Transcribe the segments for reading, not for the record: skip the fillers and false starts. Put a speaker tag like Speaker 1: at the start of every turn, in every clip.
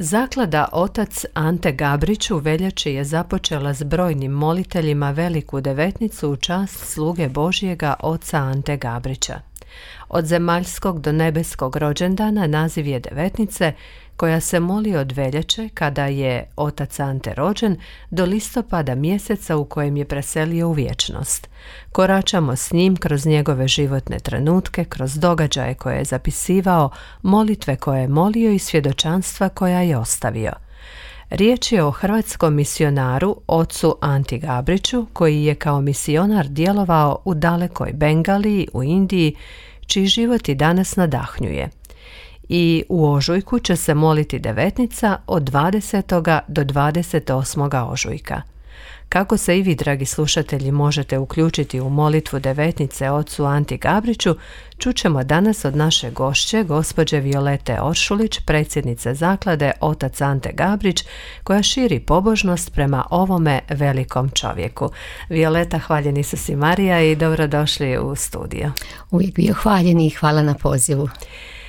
Speaker 1: Zaklada Otac Ante Gabrić u veljači je započela s brojnim moliteljima Veliku devetnicu u čast sluge Božjega Oca Ante Gabrića. Od zemaljskog do nebeskog rođendana naziv je devetnice koja se moli od veljače kada je Otac Ante rođen do listopada mjeseca u kojem je preselio u vječnost. Koračamo s njim kroz njegove životne trenutke, kroz događaje koje je zapisivao, molitve koje je molio i svjedočanstva koja je ostavio. Riječ je o hrvatskom misionaru ocu Anti Gabriću koji je kao misionar djelovao u dalekoj Bengaliji u Indiji, čiji život i danas nadahnjuje. I u ožujku će se moliti devetnica od 20. do 28. ožujka. Kako se i vi, dragi slušatelji, možete uključiti u molitvu devetnice ocu Anti Gabriću, čućemo danas od naše gošće, gospođe Violete Oršulić, predsjednice zaklade Otac Ante Gabrić, koja širi pobožnost prema ovome velikom čovjeku. Violeta, hvaljen Isus i Marija i dobrodošli u studio.
Speaker 2: Uvijek bio hvaljen i hvala na pozivu.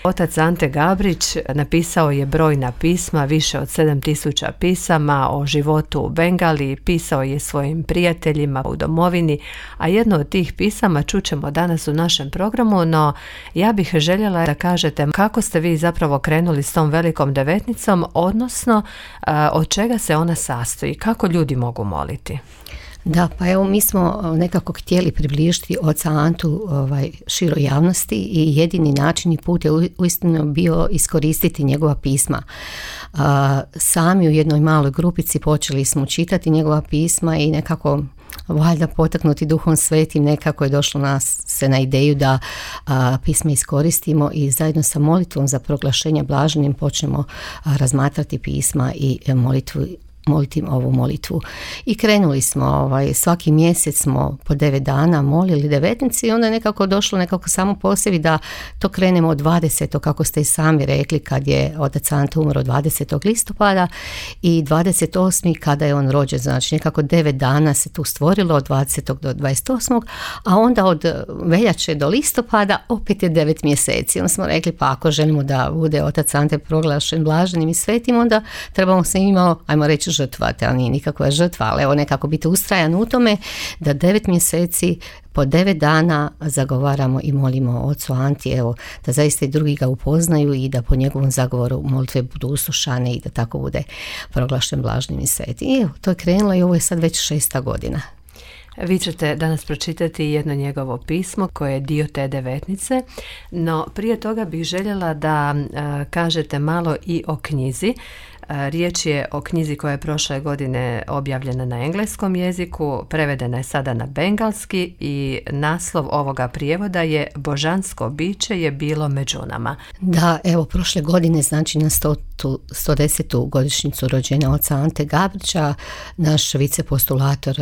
Speaker 1: Otac Ante Gabrić napisao je brojna pisma, više od 7000 pisama o životu u Bengaliji, pisao je svojim prijateljima u domovini, a jedno od tih pisama čućemo danas u našem programu, no ja bih željela da kažete kako ste vi zapravo krenuli s tom velikom devetnicom, odnosno od čega se ona sastoji, kako ljudi mogu moliti.
Speaker 2: Da, pa evo mi smo nekako htjeli približiti Oca Antu široj javnosti i jedini način i put je uistinu bio iskoristiti njegova pisma. Sami u jednoj maloj grupici počeli smo čitati njegova pisma i nekako valjda potaknuti Duhom Svetim nekako je došlo nas se na ideju da pisma iskoristimo i zajedno sa molitvom za proglašenje blaženim počnemo razmatrati pisma i moliti ovu molitvu. I krenuli smo, svaki mjesec smo po 9 dana molili devetnici i onda je nekako došlo nekako samo po sebi da to krenemo od 20. kako ste i sami rekli kad je Otac Ante umro 20. listopada i 28. kada je on rođen, znači nekako 9 dana se tu stvorilo od 20. do 28. a onda od veljače do listopada opet je 9 mjeseci. Onda smo rekli pa ako želimo da bude Otac Ante proglašen blaženim i svetim, onda trebamo se imalo, ajmo reći, žrtvati, ali nije nikakva žrtva, ali evo nekako biti ustrajan u tome da 9 mjeseci po 9 dana zagovaramo i molimo Ocu Anti, evo, da zaista i drugi ga upoznaju i da po njegovom zagovoru molitve budu uslušane i da tako bude proglašen blaženim i svetim. I evo, to je krenulo i ovo je sad već 6. godina.
Speaker 1: Vi ćete danas pročitati jedno njegovo pismo koje je dio te devetnice, no prije toga bih željela da kažete malo i o knjizi. Riječ je o knjizi koja je prošle godine objavljena na engleskom jeziku, prevedena je sada na bengalski i naslov ovoga prijevoda je Božansko biće je bilo među nama.
Speaker 2: Da, evo prošle godine, znači na 110. godišnjicu rođenja Oca Ante Gabrića, naš vicepostulator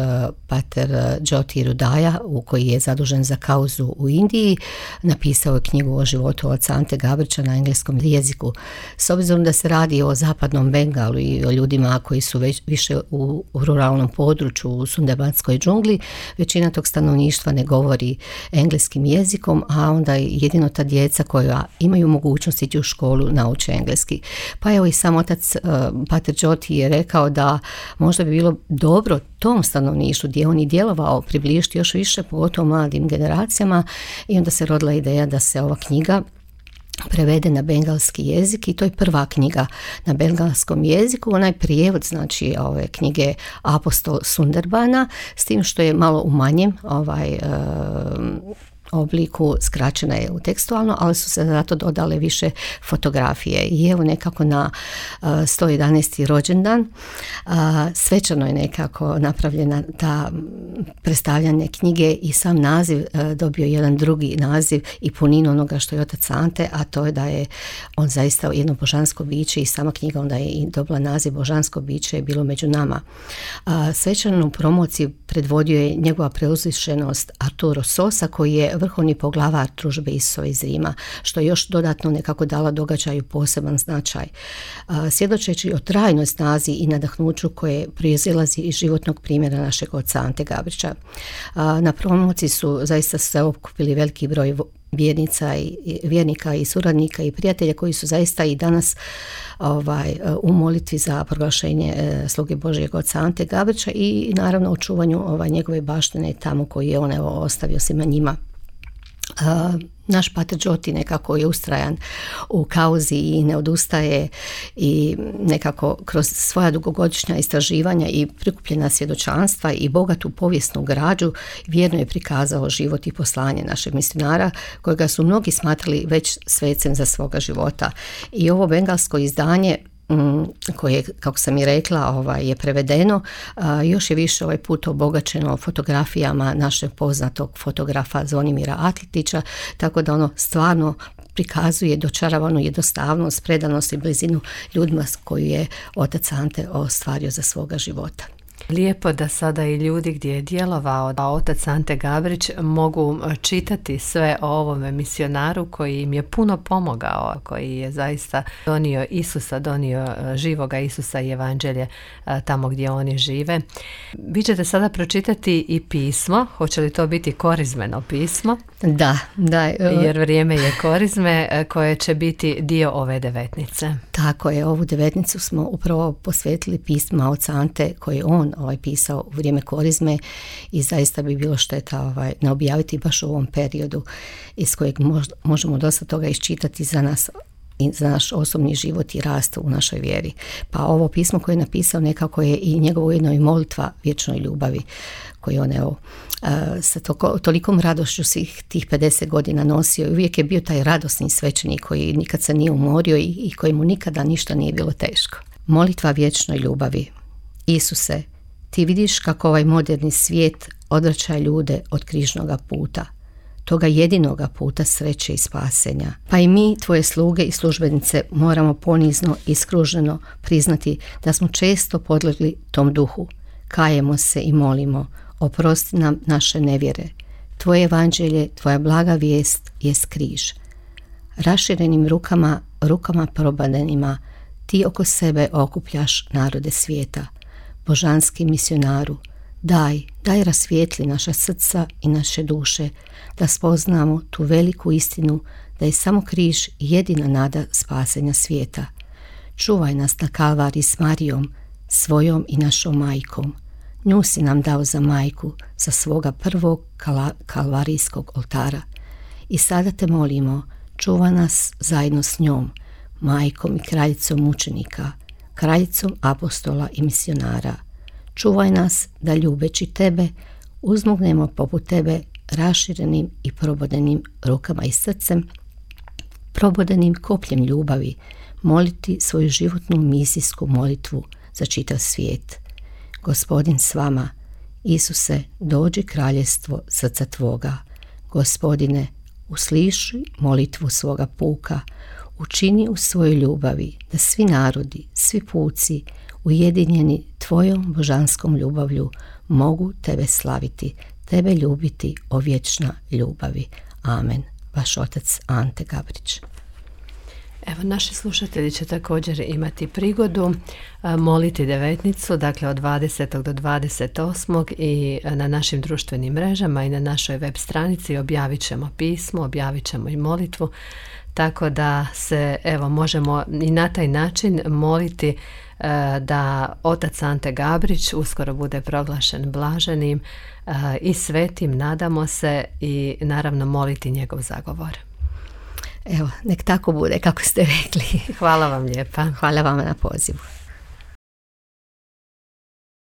Speaker 2: pater Jyoti Rudaja, koji je zadužen za kauzu u Indiji, napisao je knjigu o životu Oca Ante Gabrića na engleskom jeziku. S obzirom da se radi o zapadnom Bengalu i o ljudima koji su više u ruralnom području, u sundebanskoj džungli, većina tog stanovništva ne govori engleskim jezikom, a onda jedino ta djeca koja imaju mogućnost ići u školu nauče engleski. Pa evo i sam otac pater Jyoti je rekao da možda bi bilo dobro tom stanovništvu gdje on i djelovao približiti još više pogotovo mladim generacijama i onda se rodila ideja da se ova knjiga prevede na bengalski jezik i to je prva knjiga na bengalskom jeziku. Onaj prijevod, znači ove knjige Apostol Sunderbana, s tim što je malo u manjem obliku, skraćena je u tekstualno, ali su se zato dodale više fotografije i evo nekako na 111. rođendan svečano je nekako napravljena ta predstavljanje knjige i sam naziv dobio jedan drugi naziv i puninu onoga što je Otac Ante, a to je da je on zaista jedno božansko biće i sama knjiga onda je i dobila naziv Božansko biće je bilo među nama. Svečanu promociju predvodio je njegova preuzvišenost Arturo Sosa koji je vrhovni poglavar družbe Isusove iz Rima, što je još dodatno nekako dala događaju poseban značaj. svjedočeći o trajnoj snazi i nadahnuću koje proizilazi iz životnog primjera našeg oca Ante Gabrića. Na promociji su zaista se okupili veliki broj vjernika i suradnika i prijatelja koji su zaista i danas u molitvi za proglašenje sluge Božjeg oca Ante Gabrića i naravno očuvanju njegove baštine tamo koji je on ostavio svima njima. Naš pater Đoti nekako je ustrajan u kauzi i ne odustaje i nekako kroz svoja dugogodišnja istraživanja i prikupljena svjedočanstva i bogatu povijesnu građu vjerno je prikazao život i poslanje našeg misionara kojega su mnogi smatrali već svecem za svoga života. I ovo bengalsko izdanje koje, kako sam i rekla, je prevedeno, još je više ovaj put obogaćeno fotografijama našeg poznatog fotografa Zvonimira Atletića, tako da ono stvarno prikazuje dočaravanu jednostavnost, predanost i blizinu ljudima koju je otac Ante ostvario za svoga života.
Speaker 1: Lijepo da sada i ljudi gdje je djelovao otac Ante Gabrić mogu čitati sve o ovome misionaru koji im je puno pomogao, koji je zaista donio Isusa, donio živoga Isusa i evanđelje tamo gdje oni žive. Vi ćete sada pročitati i pismo, hoće li to biti korizmeno pismo?
Speaker 2: Da.
Speaker 1: Jer vrijeme je korizme koje će biti dio ove devetnice.
Speaker 2: Tako je, ovu devetnicu smo upravo posvetili pisma oca Ante koji on pisao u vrijeme korizme i zaista bi bilo šteta ne objaviti baš u ovom periodu iz kojeg možemo dosta toga iščitati za nas i za naš osobni život i rast u našoj vjeri. Pa ovo pismo koje je napisao nekako je i njegovo ujedno i molitva vječnoj ljubavi koju on sa tolikom radošću svih tih 50 godina nosio i uvijek je bio taj radosni svećenik koji nikad se nije umorio i kojemu nikada ništa nije bilo teško. Molitva vječnoj ljubavi. Isuse, ti vidiš kako ovaj moderni svijet odvraća ljude od križnoga puta, toga jedinoga puta sreće i spasenja. Pa i mi, tvoje sluge i službenice, moramo ponizno i skruženo priznati da smo često podlegli tom duhu. Kajemo se i molimo, oprosti nam naše nevjere. Tvoje evanđelje, tvoja blaga vijest jest križ. Raširenim rukama probadenima, ti oko sebe okupljaš narode svijeta. Božanski misionaru, daj rasvijetli naša srca i naše duše, da spoznamo tu veliku istinu da je samo križ jedina nada spasenja svijeta. Čuvaj nas na Kalvari s Marijom, svojom i našom majkom. Nju si nam dao za majku, za svoga prvog kalvarijskog oltara. I sada te molimo, čuva nas zajedno s njom, majkom i kraljicom mučenika, kraljicom apostola i misionara. Čuvaj nas da ljubeći tebe uzmognemo poput tebe raširenim i probodenim rukama i srcem, probodenim kopljem ljubavi, moliti svoju životnu misijsku molitvu za čitav svijet. Gospodin s vama, Isuse, dođi kraljevstvo srca tvoga. Gospodine, usliši molitvu svoga puka, učini u svojoj ljubavi da svi narodi, svi puci, ujedinjeni tvojom božanskom ljubavlju, mogu tebe slaviti, tebe ljubiti o vječna ljubavi. Amen. Vaš otac Ante Gabrić.
Speaker 1: Evo, naši slušatelji će također imati prigodu moliti devetnicu, dakle od 20. do 28. i na našim društvenim mrežama i na našoj web stranici objavit ćemo pismo, objavit ćemo i molitvu, tako da se možemo i na taj način moliti da otac Ante Gabrić uskoro bude proglašen blaženim i svetim, nadamo se, i naravno moliti njegov zagovor.
Speaker 2: Evo, nek tako bude kako ste rekli.
Speaker 1: Hvala vam lijepa.
Speaker 2: Hvala vam na pozivu.